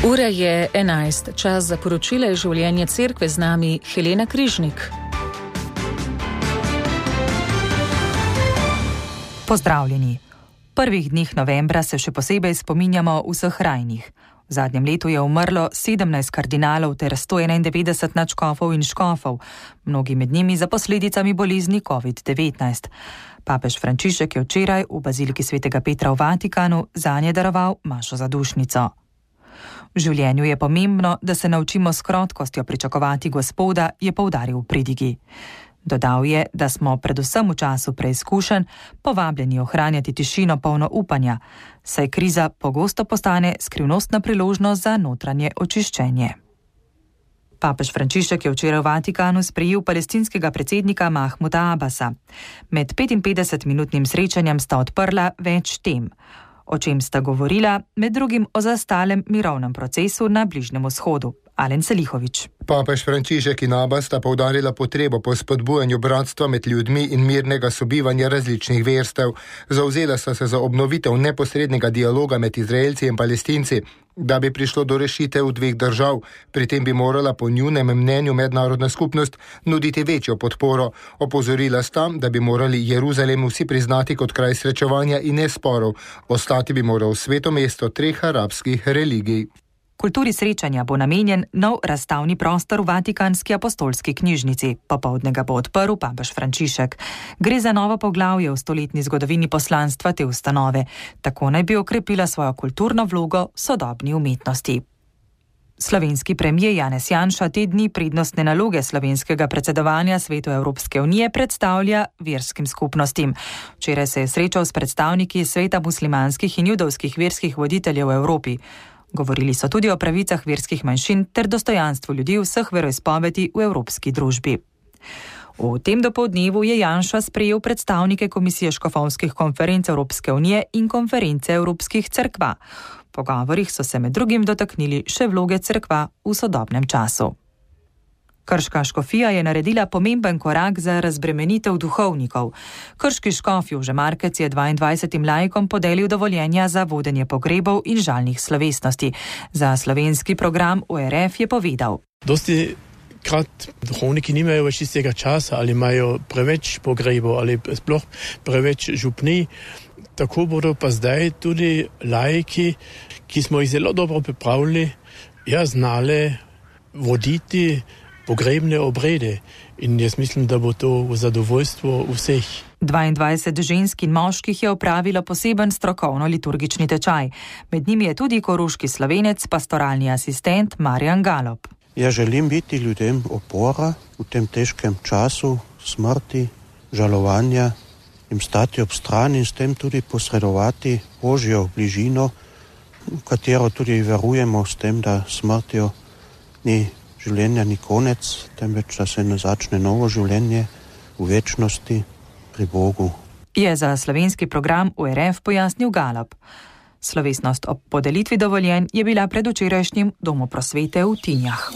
Ura je 11, čas za poročila iz življenja cerkve, z nami Helena Križnik. Pozdravljeni. V prvih dneh novembra se še posebej spominjamo vseh rajnih. V zadnjem letu je umrlo 17 kardinalov ter 191 nadškofov in škofov, mnogi med njimi za posledicami bolezni COVID-19. Papež Frančišek je včeraj v baziliki svetega Petra v Vatikanu zanje daroval mašo za dušnico. V življenju je pomembno, da se naučimo s krotkostjo pričakovati Gospoda, je poudaril v pridigi. Dodal je, da smo predvsem v času preizkušenj povabljeni ohranjati tišino polno upanja, saj kriza pogosto postane skrivnostna priložnost za notranje očiščenje. Papež Frančišek je včeraj v Vatikanu sprejel palestinskega predsednika Mahmuda Abasa. Med 55-minutnim srečanjem sta odprla več tem. O čem sta govorila, med drugim o zastalem mirovnem procesu na Bližnjem vzhodu. Alen Selihovič. Papež Frančišek in Abbas sta poudarila potrebo po spodbujanju bratstva med ljudmi in mirnega sobivanja različnih verstev. Zavzela sta se za obnovitev neposrednega dialoga med Izraelci in Palestinci, da bi prišlo do rešitev dveh držav. Pri tem bi morala po njunem mnenju mednarodna skupnost nuditi večjo podporo. Opozorila sta, da bi morali Jeruzalem vsi priznati kot kraj srečevanja in ne sporov. Ostati bi moral sveto mesto treh arabskih religij. Kulturi srečanja bo namenjen nov razstavni prostor v Vatikanski apostolski knjižnici. Popoldne ga bo odprl papež Frančišek. Gre za novo poglavje v stoletni zgodovini poslanstva te ustanove. Tako naj bi okrepila svojo kulturno vlogo v sodobni umetnosti. Slovenski premier Janez Janša te dni prednostne naloge slovenskega predsedovanja Svetu Evropske unije predstavlja verskim skupnostim. Včeraj se je srečal s predstavniki sveta muslimanskih in judovskih verskih voditeljev v Evropi. Govorili so tudi o pravicah verskih manjšin ter dostojanstvu ljudi vseh veroizpovedi v evropski družbi. V tem dopoldnevu je Janša sprejel predstavnike Komisije škofovskih konferenc Evropske unije in konference Evropskih cerkva. V pogovorih so se med drugim dotaknili še vloge cerkva v sodobnem času. Krška škofija je naredila pomemben korak za razbremenitev duhovnikov. Krški škof Jože Markec je 22 laikom podelil dovoljenja za vodenje pogrebov in žalnih slovesnosti. Za slovenski program ORF je povedal. Dosti krat duhovniki nimajo več istega časa ali imajo preveč pogrebov ali sploh preveč župnij. Tako bodo pa zdaj tudi laiki, ki smo jih zelo dobro pripravili, znali voditi pogrebne obrede in jaz mislim, da bo to v zadovoljstvo vseh. 22 žensk in moških je opravilo poseben strokovno-liturgični tečaj. Med njimi je tudi koroški Slovenec, pastoralni asistent Marjan Galop. Ja želim biti ljudem opora v tem težkem času smrti, žalovanja, jim stati ob strani in s tem tudi posredovati Božjo bližino, v katero tudi verujemo s tem, da smrtjo ni življenja ni konec, temveč da se ne začne novo življenje v večnosti pri Bogu. Je za slovenski program ORF pojasnil Galop. Slovesnost ob podelitvi dovoljenj je bila predvčerajšnjim Domu prosvete v Tinjah.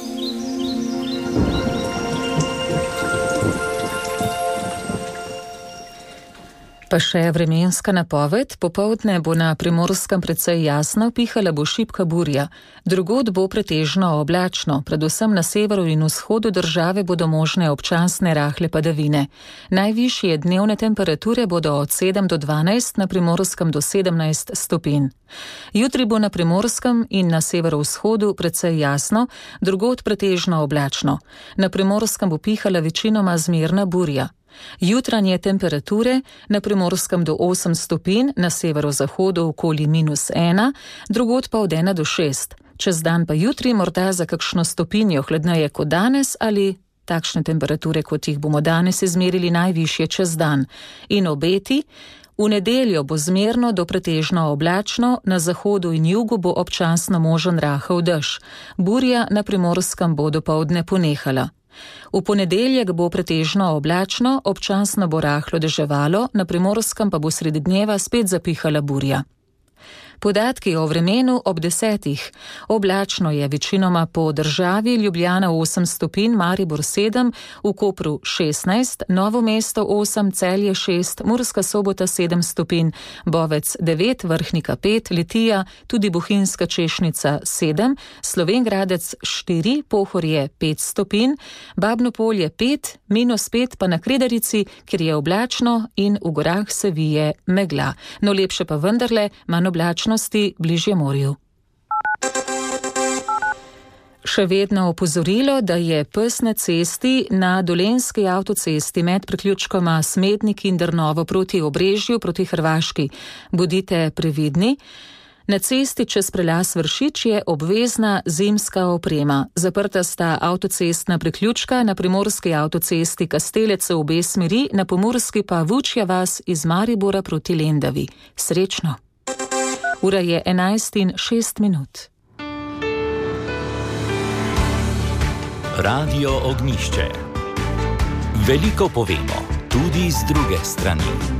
Pa še vremenska napoved. Popoldne bo na Primorskem precej jasno, pihala bo šibka burja. Drugod bo pretežno oblačno, predvsem na severu in vzhodu države bodo možne občasne rahle padavine. Najvišje dnevne temperature bodo od 7 do 12, na Primorskem do 17 stopinj. Jutri bo na Primorskem in na severovzhodu precej jasno, drugod pretežno oblačno. Na Primorskem bo pihala večinoma zmerna burja. Jutranje temperature na Primorskem do 8 stopinj, na severozahodu okoli -1, drugod pa od 1 do 6. Čez dan pa jutri morda za kakšno stopinjo hladneje kot danes ali takšne temperature, kot jih bomo danes izmerili najvišje čez dan. In obeti: v nedeljo bo zmerno do pretežno oblačno, na zahodu in jugu bo občasno možen rahel dež. Burja na Primorskem bo dopoldne ponehala. V ponedeljek bo pretežno oblačno, občasno bo rahlo deževalo, na Primorskem pa bo sredi dneva spet zapihala burja. Podatki o vremenu ob 10. Oblačno je večinoma po državi, Ljubljana 8 stopinj, Maribor 7, v Kopru 16, Novo mesto 8, Celje 6, Murska Sobota 7 stopinj, Bovec 9, Vrhnika 5, Litija, tudi Bohinjska Češnica 7, Slovenjgradec 4, Pohorje 5 stopinj, Babno Polje 5, -5 pa na Kredarici, kjer je oblačno in v gorah se vije megla. No lepše pa vendarle, manj oblačnosti bližje morju. Še vedno opozorilo, da je pes na cesti na Dolenjski avtocesti med priključkoma Smednik in Drnovo proti Obrežju proti Hrvaški. Bodite previdni. Na cesti čez prelaz Vršič je obvezna zimska oprema. Zaprta sta avtocestna priključka na primorski avtocesti Kastelec v obe smeri, na pomurski pa Vučja vas iz Maribora proti Lendavi. Srečno! Ura je 11:06. Radio Ognjišče. Veliko povemo, tudi z druge strani.